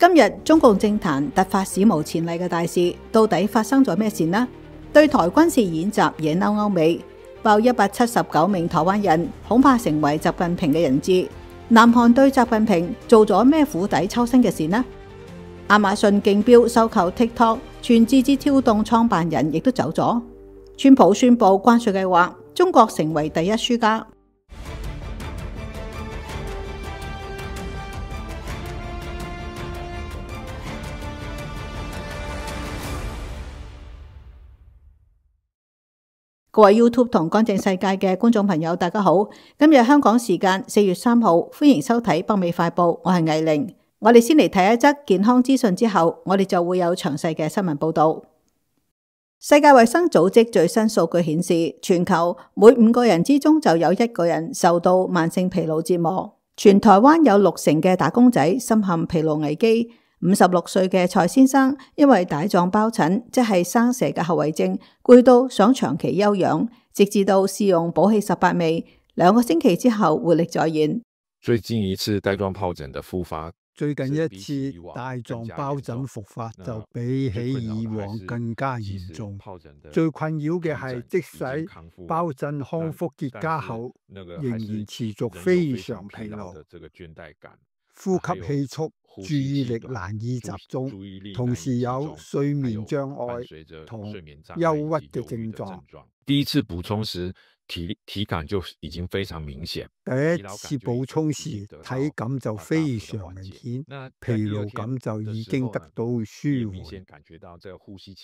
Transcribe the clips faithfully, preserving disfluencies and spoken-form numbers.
今日中共政壇突發史無前例嘅大事，到底發生咗咩事呢？對台軍事演習惹嬲歐美，爆一百七十九名台灣人恐怕成為習近平嘅人質。南韓對習近平做咗咩釜底抽薪嘅事呢？亞馬遜競標收購 TikTok， 全字節跳動創辦人亦都走咗。川普宣布關稅計劃，中國成為第一輸家。各位 YouTube 同乾淨世界嘅觀眾朋友，大家好！今日香港時間四月三號，歡迎收睇北美快報，我係藝玲。我哋先嚟睇一則健康資訊之後，我哋就會有詳細嘅新聞報道。世界衛生組織最新數據顯示，全球每五個人之中就有一個人受到慢性疲勞折磨。全台灣有六成嘅打工仔深陷疲勞危機。五十六歲嘅蔡先生因為帶狀疱疹，即係生蛇嘅後遺症，攰到想長期休養，直至到試用保氣十八味，兩個星期之後活力再現。最近一次帶狀疱疹的復發，最近一次帶狀疱疹復發就比起以往更加嚴重。最困擾嘅係，即使疱疹康復結痂後，仍然持續非常疲勞、呼吸氣促、注意力難以集中，同時有睡眠障礙同憂鬱嘅症狀。第一次補充時，體體感就已經非常明顯。第一次補充時，體感就非常明顯，疲勞感就已經得到舒緩。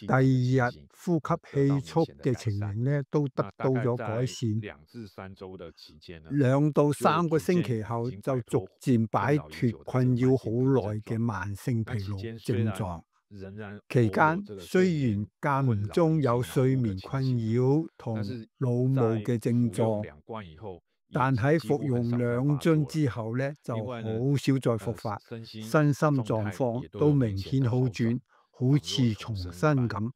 第二日呼吸氣促嘅情形呢，都得到咗改善。兩到三個星期後，就逐漸擺脫困擾好耐嘅慢性疲勞症狀。期間雖然間唔中有睡眠困擾同腦霧嘅症狀，但喺服用兩樽之後呢，就好少再復發，身心狀況都明顯好轉，好似重生咁。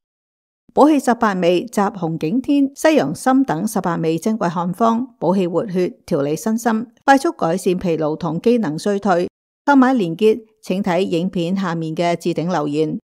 保氣十八味集紅景天、西洋參等十八味珍貴漢方，補氣活血、調理身心，快速改善疲勞同機能衰退。購買連結請睇影片下面嘅置頂留言。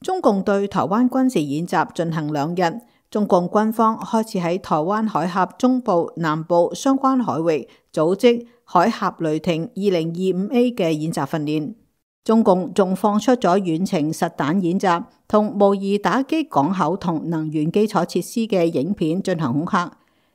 中共對台灣軍事演習進行兩日，中共軍方開始喺台灣海峽中部、南部相關海域組織海峽雷霆二零二五 A 嘅演習訓練。中共仲放出咗遠程實彈演習同模擬打擊港口同能源基礎設施嘅影片進行恐嚇，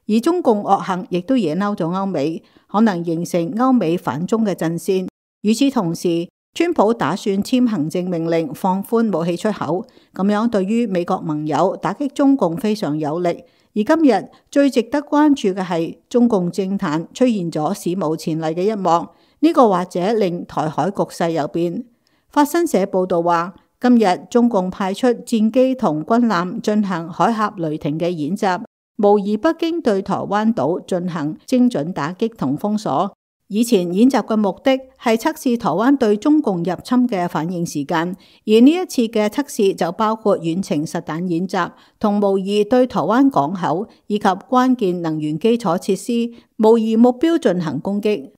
而中共惡行亦都惹嬲咗歐美，可能形成歐美反中嘅陣線。與此同時，川普打算簽行政命令放寬武器出口，咁樣對於美國盟友打擊中共非常有力。而今日最值得關注嘅係中共政壇出現咗史無前例嘅一幕，呢、這個或者令台海局勢有變。法新社報道話，今日中共派出戰機同軍艦進行海峽雷霆嘅演習，模擬北京對台灣島進行精準打擊同封鎖。以前演習嘅目的係測試台灣對中共入侵嘅反應時間，而呢一次嘅測試就包括遠程實彈演習同模擬對台灣港口以及關鍵能源基礎設施模擬目標進行攻擊。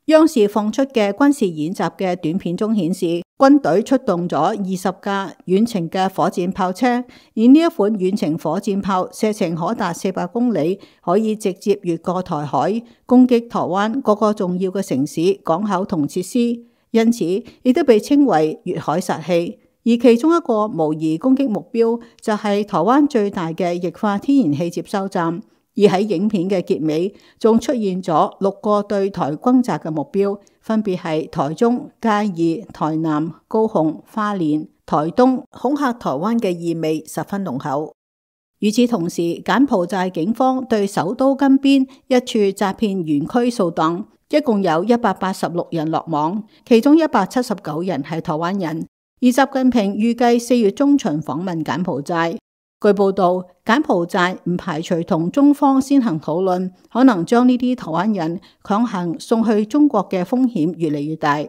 央視放出嘅軍事演習嘅短片中顯示，軍隊出動咗二十架遠程嘅火箭炮車，而呢一款遠程火箭炮射程可達四百公里，可以直接越過台海，攻擊台灣各個重要嘅城市、港口同設施，因此亦都被稱為越海殺器。而其中一個模擬攻擊目標就係台灣最大嘅液化天然氣接收站。而喺影片嘅結尾，仲出現咗六個對台轟炸嘅目標，分別係台中、嘉義、台南、高雄、花蓮、台東，恐嚇台灣嘅意味十分濃厚。與此同時，柬埔寨警方對首都金邊一處詐騙園區掃蕩，一共有一百八十六人落網，其中一百七十九人係台灣人。而習近平預計四月中旬訪問柬埔寨。據報道，柬埔寨唔排除同中方先行討論，可能將呢啲台灣人強行送去中國嘅風險越嚟越大。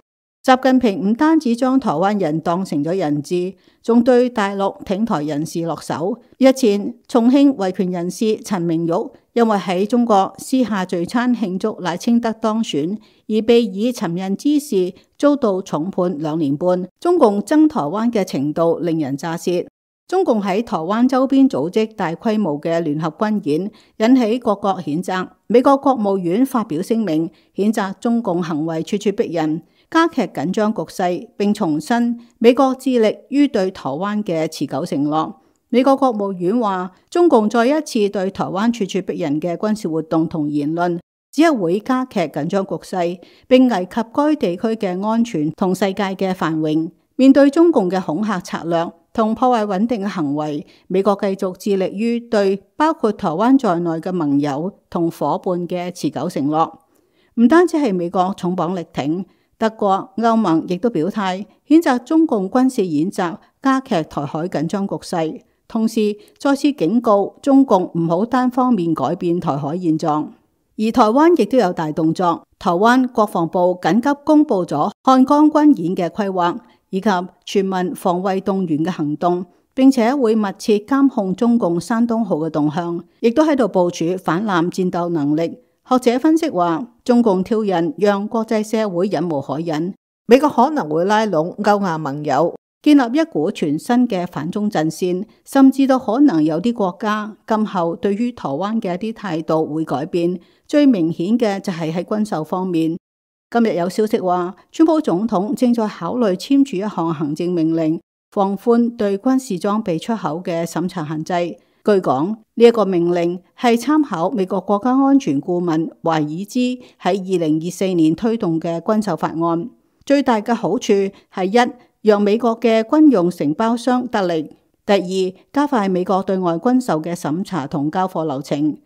習近平唔單止將台灣人當成咗人質，仲對大陸挺台人士落手。日前，重慶維權人士陳明玉因為喺中國私下聚餐慶祝賴清德當選，而被以尋釁滋事遭到重判兩年半。中共憎台灣嘅程度令人咋舌。中共喺台灣周邊組織大規模嘅聯合軍演，引起各國譴責。美國國務院發表聲明，譴責中共行為咄咄逼人，加劇緊張局勢，並重申美國致力於對台灣嘅持久承諾。美國國務院話，中共再一次對台灣咄咄逼人嘅軍事活動同言論，只係會加劇緊張局勢，並危及該地區嘅安全同世界嘅繁榮。面對中共嘅恐嚇策略同破壞穩定嘅行為，美國繼續致力於對包括台灣在內嘅盟友同夥伴嘅持久承諾。唔單止係美國重磅力挺，德國、歐盟亦都表態譴責中共軍事演習，加劇台海緊張局勢。同時再次警告中共唔好單方面改變台海現狀，而台灣亦都有大動作。台灣國防部緊急公布咗漢江軍演嘅規劃，以及全民防衛動員嘅行動，並且會密切監控中共山東號嘅動向，亦都喺度部署反艦戰鬥能力。學者分析話，中共挑釁讓國際社會忍無可忍，美國可能會拉攏歐亞盟友，建立一股全新嘅反中陣線，甚至都可能有啲國家今後對於台灣嘅一啲態度會改變。最明顯嘅就係喺軍售方面。今日有消息話，川普總統正在考慮簽署一項行政命令，放寬對軍事裝備出口嘅審查限制。據講，呢一個命令係參考美國國家安全顧問懷爾茲喺二零二四年推動嘅軍售法案。最大嘅好處係一，讓美國嘅軍用承包商得利；第二，加快美國對外軍售嘅審查同交貨流程。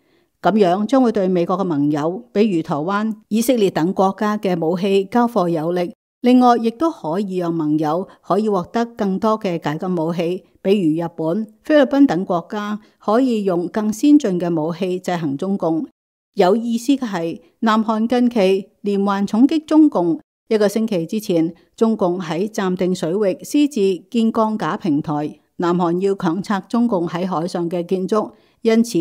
咁樣將會對美國嘅盟友，比如台灣、以色列等國家嘅武器交貨有力。另外，亦都可以讓盟友可以獲得更多嘅解禁武器，比如日本、菲律賓等國家可以用更先進嘅武器制衡中共。有意思嘅係，南韓近期連環重擊中共。一個星期之前，中共喺暫定水域私自建鋼架平台，南韓要強拆中共喺海上嘅建築，因此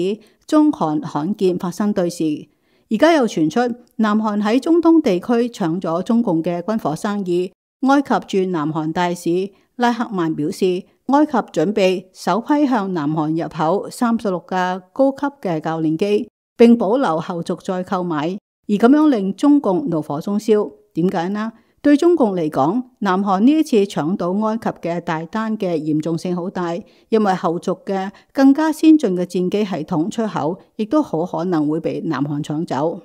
中韓罕見發生對峙。而家又傳出南韓喺中東地區搶咗中共嘅軍火生意。埃及駐南韓大使拉克曼表示，埃及準備首批向南韓入口三十六架高級嘅教練機，並保留後續再購買，而咁樣令中共怒火中燒。點解呢？對中共嚟講，南韓呢一次搶到埃及嘅大單嘅嚴重性好大，因為後續嘅更加先進嘅戰機系統出口，亦都好可能會被南韓搶走。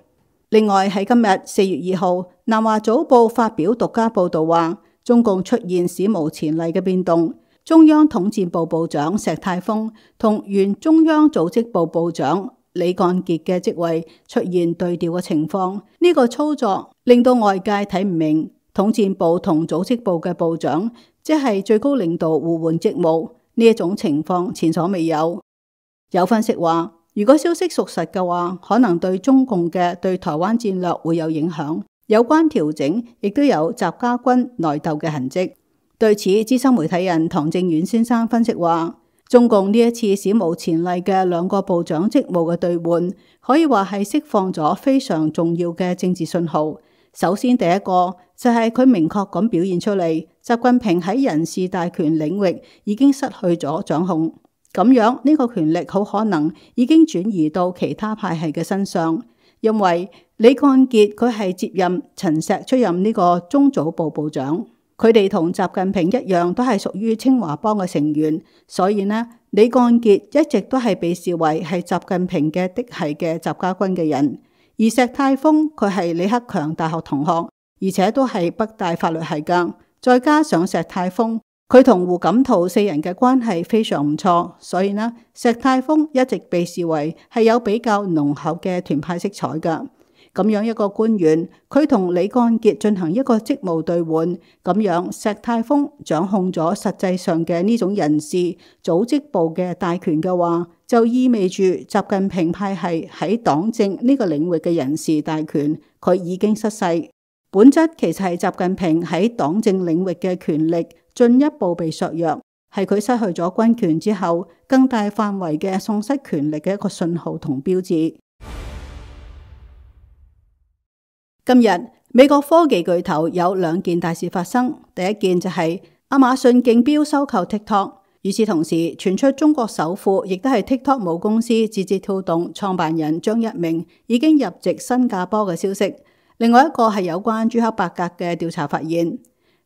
另外喺今日四月二號，南華早報發表獨家報道話，中共出現史無前例嘅變動，中央統戰部部長石泰峰同原中央組織部部長李幹傑嘅職位出現對調嘅情況。呢個操作令到外界睇唔明，統戰部同組織部嘅部長即係最高領導互換職務，呢一種情況前所未有。有分析話，如果消息屬實嘅話，可能對中共嘅對台灣戰略會有影響。有關調整亦都有習家軍內鬥嘅痕跡。對此，資深媒體人唐正遠先生分析話，中共呢一次史無前例嘅兩個部長職務嘅兌換，可以話係釋放咗非常重要嘅政治信號。首先，第一個就係佢明確咁表現出嚟，習近平喺人事大權領域已經失去咗掌控，咁樣呢個權力好可能已經轉移到其他派系嘅身上。因為李幹傑佢係接任陳石出任呢個中組部部長，佢哋同習近平一樣都係屬於清華幫嘅成員，所以呢，李幹傑一直都係被視為係習近平嘅嫡系嘅習家軍嘅人。而石泰峰佢係李克強大學同學，而且都係北大法律系噶。再加上石泰峰佢同胡錦濤四人嘅關係非常唔錯，所以呢，石泰峰一直被視為係有比較濃厚嘅團派色彩噶。咁樣一個官員，佢同李幹傑進行一個職務兌換，咁樣石泰峰掌控咗實際上嘅呢種人事組織部嘅大權嘅話，就意味住習近平派系喺黨政呢個領域嘅人事大權，佢已經失勢。本質其實係習近平喺黨政領域嘅權力進一步被削弱，係佢失去咗軍權之後更大範圍嘅喪失權力嘅一個信號同標誌。今日美國科技巨頭有兩件大事發生，第一件就係亞馬遜競標收購 TikTok， 與此同時傳出中國首富亦都係 TikTok 母公司字節跳動創辦人張一鳴已經入籍新加坡嘅消息。另外一個係有關朱克伯格嘅調查發現，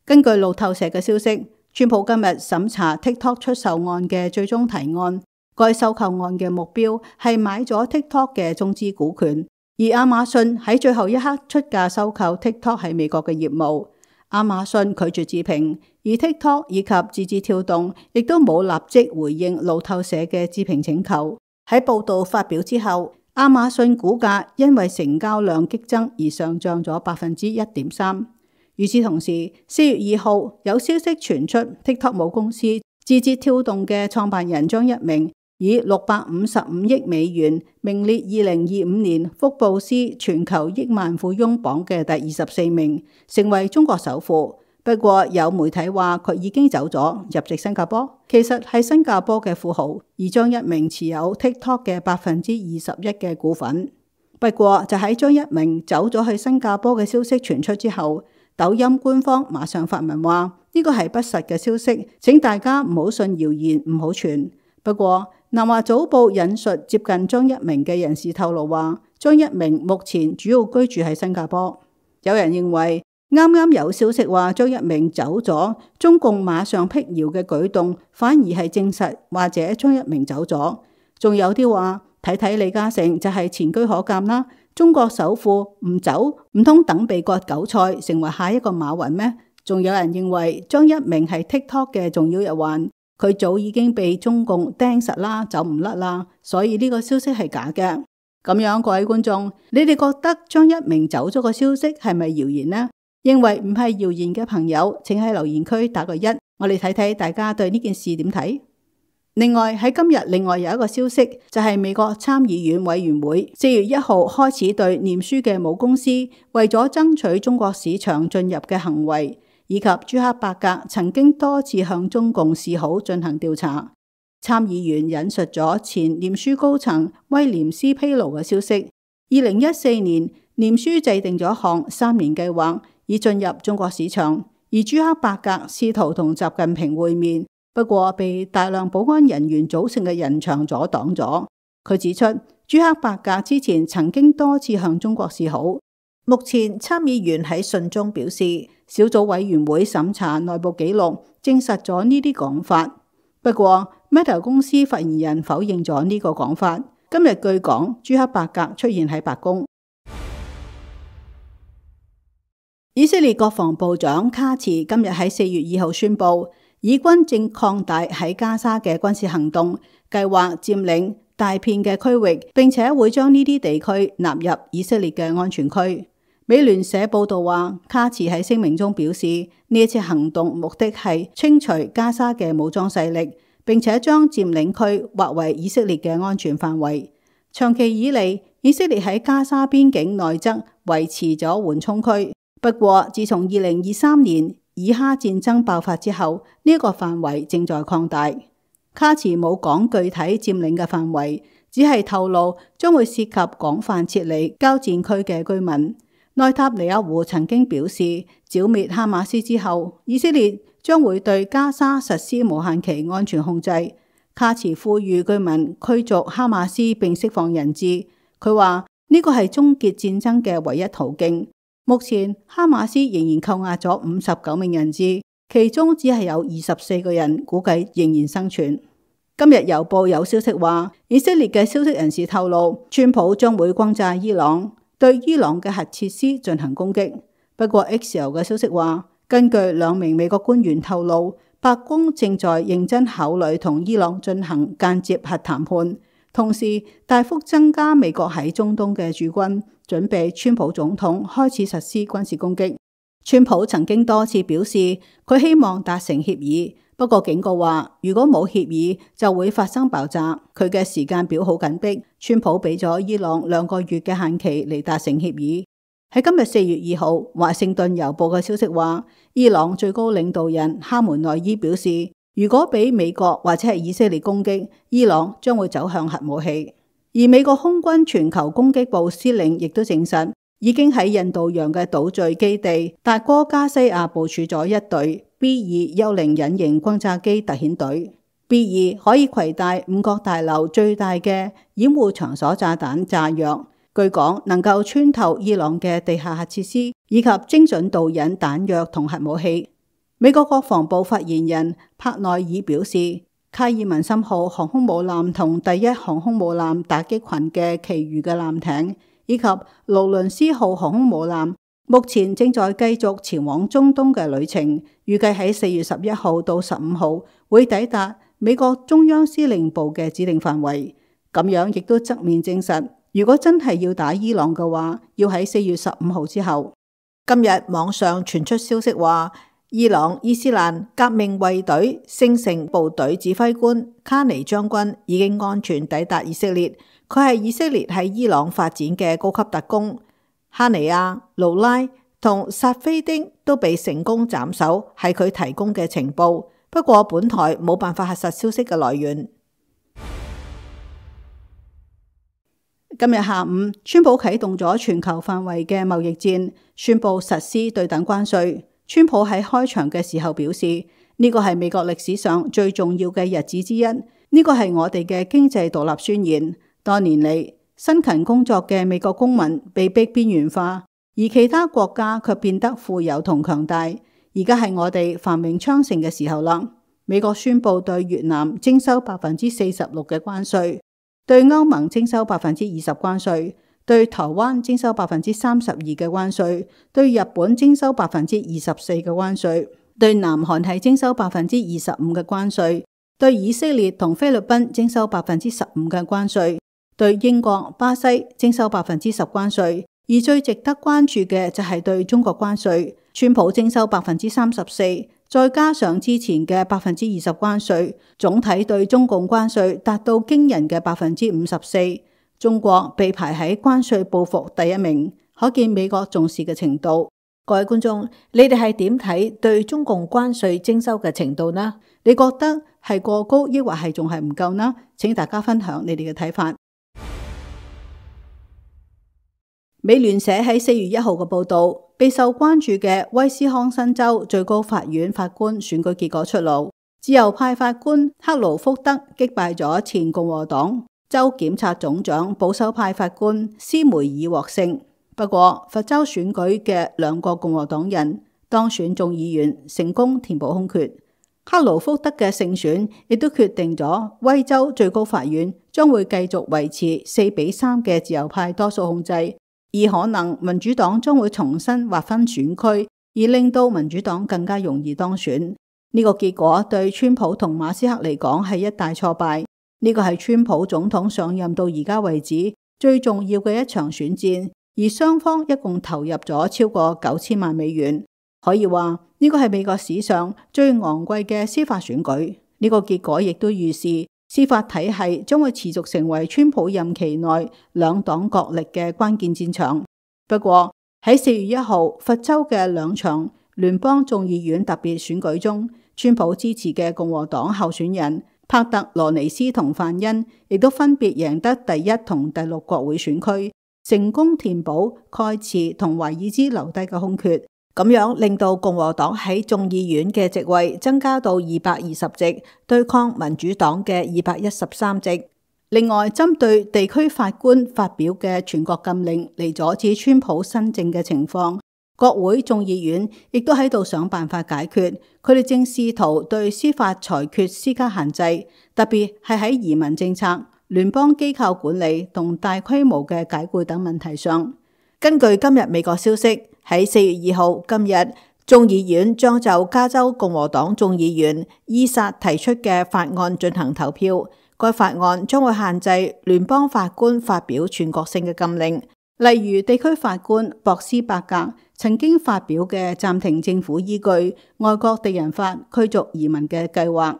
根據路透社嘅消息，川普今日審查 TikTok 出售案嘅最終提案，該收購案嘅目標係買咗 TikTok 嘅中資股權。而亞馬遜喺最後一刻出價收購 TikTok 喺美國嘅業務，亞馬遜拒絕置評，而 TikTok 以及字節跳動亦都冇立即回應路透社嘅置評請求。喺報道發表之後，亞馬遜股價因為成交量激增而上漲咗百分之一點三。與此同時，四月二號有消息傳出 TikTok 母公司字節跳動嘅創辦人張一鳴以六百五十五億美元名列二零二五年福布斯全球億萬富翁榜嘅第二十四名，成為中國首富。不過有媒體話佢已經走咗，入籍新加坡，其實係新加坡嘅富豪，而張一鳴持有 TikTok 嘅百分之二十一嘅股份。不過就喺張一鳴走咗去新加坡嘅消息傳出之後，抖音官方馬上發文話呢個係不實嘅消息，請大家唔好信謠言，唔好傳。不過南華早報引述接近張一鳴嘅人士透露話，張一鳴目前主要居住喺新加坡。有人認為啱啱有消息話張一鳴走咗，中共馬上辟謠嘅舉動反而係證實或者張一鳴走咗。仲有啲話睇睇李嘉誠就係前車可鑑啦，中國首富唔走唔通等被割韭菜成為下一個馬雲咩？仲有人認為張一鳴係 TikTok 嘅重要一環。佢早已經被中共釘實啦，走唔甩啦，所以呢個消息係假嘅。咁樣，各位觀眾，你哋覺得張一鳴走咗個消息係咪謠言呢？認為唔係謠言嘅朋友，請喺留言區打個一，我哋睇睇大家對呢件事點睇。另外喺今日，另外有一個消息就係美國參議院委員會四月一號開始對臉書嘅母公司為咗爭取中國市場進入嘅行為，以及朱克伯格曾經多次向中共示好進行調查。參議員引述咗前臉書高層威廉斯披露嘅消息，二零一四年臉書制定咗一項三年計劃以進入中國市場，而朱克伯格試圖同習近平會面，不過被大量保安人員組成嘅人牆阻擋咗。佢指出，朱克伯格之前曾經多次向中國示好。目前參議員喺信中表示，小組委員會審查內部記錄，證實咗呢啲講法。不過 Meta 公司發言人否認咗呢個講法。今日據講，朱克伯格出現喺白宮。以色列國防部長卡茨今日喺四月二號宣布，以軍正擴大喺加沙嘅軍事行動，計劃佔領大片嘅區域，並且會將呢啲地區納入以色列嘅安全區。美聯社報道話，卡茨喺聲明中表示，呢一次行動目的係清除加沙嘅武裝勢力，並且將佔領區劃為以色列嘅安全範圍。長期以嚟，以色列喺加沙邊境內側維持咗緩衝區，不過自從二零二三年以哈戰爭爆發之後，呢、這、一個範圍正在擴大。卡茨冇講具體佔領嘅範圍，只係透露將會涉及廣泛撤離交戰區嘅居民。內塔尼亞胡曾經表示，剿滅哈馬斯之後，以色列將會對加沙實施無限期安全控制。卡茨呼籲居民驅逐哈馬斯並釋放人質。佢話呢個係終結戰爭嘅唯一途徑。目前哈馬斯仍然扣押咗五十九名人質，其中只係有二十四個人估計仍然生存。今日郵報有消息話，以色列嘅消息人士透露，川普將會轟炸伊朗，對伊朗嘅核設施進行攻擊。不過 X L 嘅消息話，根據兩名美國官員透露，白宮正在認真考慮同伊朗進行間接核談判，同時大幅增加美國喺中東嘅駐軍，準備川普總統開始實施軍事攻擊。川普曾經多次表示佢希望達成協議，不過警告話如果冇協議就會發生爆炸。佢嘅時間表好緊迫，川普俾咗伊朗兩個月嘅限期嚟達成協議。喺今日四月二號，華盛頓郵報嘅消息話，伊朗最高領導人哈梅內伊表示，如果俾美國或者係以色列攻擊，伊朗將會走向核武器。而美國空軍全球攻擊部司令亦都證實，已經喺印度洋嘅島嶼基地達哥加西亞部署咗一隊 B 二幽靈隱形轟炸機特遣隊。B 二可以攜帶五角大樓最大嘅掩護場所炸彈炸藥，據講能夠穿透伊朗嘅地下核設施以及精準導引彈藥同核武器。美國國防部發言人帕內爾表示，卡爾文森號航空母艦同第一航空母艦打擊群嘅其餘嘅艦艇，以及勞倫斯號航空母艦，目前正在繼續前往中東嘅旅程，預計喺四月十一號到十五號會抵達美國中央司令部嘅指定範圍。咁樣亦都側面證實，如果真係要打伊朗嘅話，要喺四月十五號之後。今日網上傳出消息話，伊朗伊斯蘭革命衛隊聖城部隊指揮官卡尼將軍已經安全抵達以色列。佢係以色列喺伊朗發展嘅高級特工。哈尼亞、盧拉同薩菲丁都被成功斬首，係佢提供嘅情報。不過本台冇辦法核實消息嘅來源。今日下午，川普啟動咗全球範圍嘅貿易戰，宣布實施對等關稅。川普喺開場嘅時候表示，呢個係美國歷史上最重要嘅日子之一，呢個係我哋嘅經濟獨立宣言。多年嚟，辛勤工作嘅美國公民被逼邊緣化，而其他國家卻變得富有同強大。而家係我哋繁榮昌盛嘅時候啦。美國宣布對越南徵收百分之四十六嘅關稅，對歐盟徵收百分之二十關稅，對台灣徵收百分之三十二嘅關稅，對日本徵收百分之二十四嘅關稅，對南韓係徵收百分之二十五嘅關稅，對以色列同菲律賓徵收百分之十五嘅關稅，對英國、巴西徵收百分之十關稅。而最值得關注嘅就係對中國關稅，川普徵收百分之三十四，再加上之前嘅百分之二十關稅，總體對中共關稅達到驚人嘅百分之五十四。中國被排喺關稅報復第一名，可見美國重視嘅程度。各位觀眾，你哋係點睇對中共關稅徵收嘅程度呢？你覺得係過高，抑或係仲係唔夠呢？請大家分享你哋嘅睇法。美聯社喺四月一號嘅報道，備受關注嘅威斯康辛州最高法院法官選舉結果出爐，自由派法官克勞福德擊敗咗前共和黨州檢察總長保守派法官斯梅爾獲勝。不過，佛州選舉嘅兩個共和黨人當選眾議員，成功填補空缺。克勞福德嘅勝選亦都決定咗威州最高法院將會繼續維持四比三嘅自由派多數控制。而可能民主黨將會重新劃分選區，而令到民主黨更加容易當選。呢個結果對川普同馬斯克嚟講係一大挫敗。呢個係川普總統上任到而家為止最重要嘅一場選戰，而雙方一共投入咗超過九千萬美元。可以話呢個係美國史上最昂貴嘅司法選舉。呢個結果亦都預示司法體系將會持續成為川普任期內兩黨角力嘅關鍵戰場。不過喺四月一號佛州嘅兩場聯邦眾議院特別選舉中，川普支持嘅共和黨候選人帕特羅尼斯同范恩亦都分別贏得第一同第六國會選區，成功填補蓋茨同懷爾茲留低嘅空缺。咁樣令到共和黨喺眾議院嘅席位增加到二百二十席，對抗民主黨嘅二百一十三席。另外，針對地區法官發表嘅全國禁令嚟阻止川普新政嘅情況，國會眾議院亦都喺度想辦法解決。佢哋正試圖對司法裁決施加限制，特別係喺移民政策、聯邦機構管理同大規模嘅解僱等問題上。根據今日美國消息，喺四月二號今日，眾議院將就加州共和黨眾議員伊薩提出嘅法案進行投票。該法案將會限制聯邦法官發表全國性嘅禁令，例如地區法官博斯伯格曾經發表嘅暫停政府依據外國敵人法驅逐移民嘅計劃。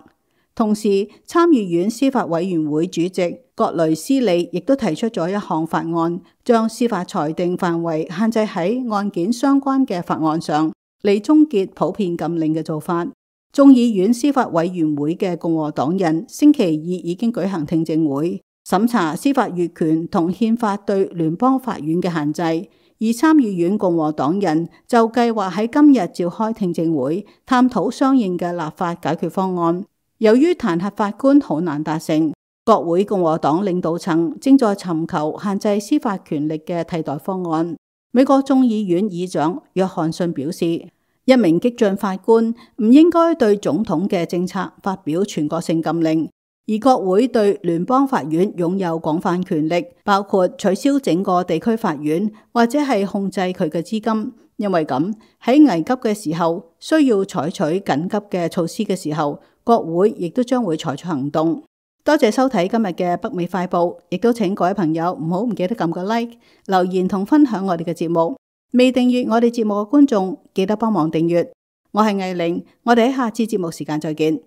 同時，參議院司法委員會主席葛雷斯利亦都提出咗一項法案，將司法裁定範圍限制喺案件相關嘅法案上，嚟終結普遍禁令嘅做法。眾議院司法委員會嘅共和黨人星期二已經舉行聽證會，審查司法越權同憲法對聯邦法院嘅限制，而參議院共和黨人就計劃喺今日召開聽證會，探討相應嘅立法解決方案。由於彈劾法官好難達成，國會共和黨領導層正在尋求限制司法權力嘅替代方案。美國眾議院議長約翰遜表示，一名激進法官唔應該對總統嘅政策發表全國性禁令。而國會對聯邦法院擁有廣泛權力，包括取消整個地區法院，或者係控制佢嘅資金。因為咁，喺危急嘅時候，需要採取緊急嘅措施嘅時候，國會亦都將會採取行動。多謝收睇今日嘅北美快報，亦都請各位朋友唔好唔記得撳個 like、留言同分享我哋嘅節目。未訂閱我哋節目嘅觀眾，記得幫忙訂閱。我係藝玲，我哋喺下次節目時間再見。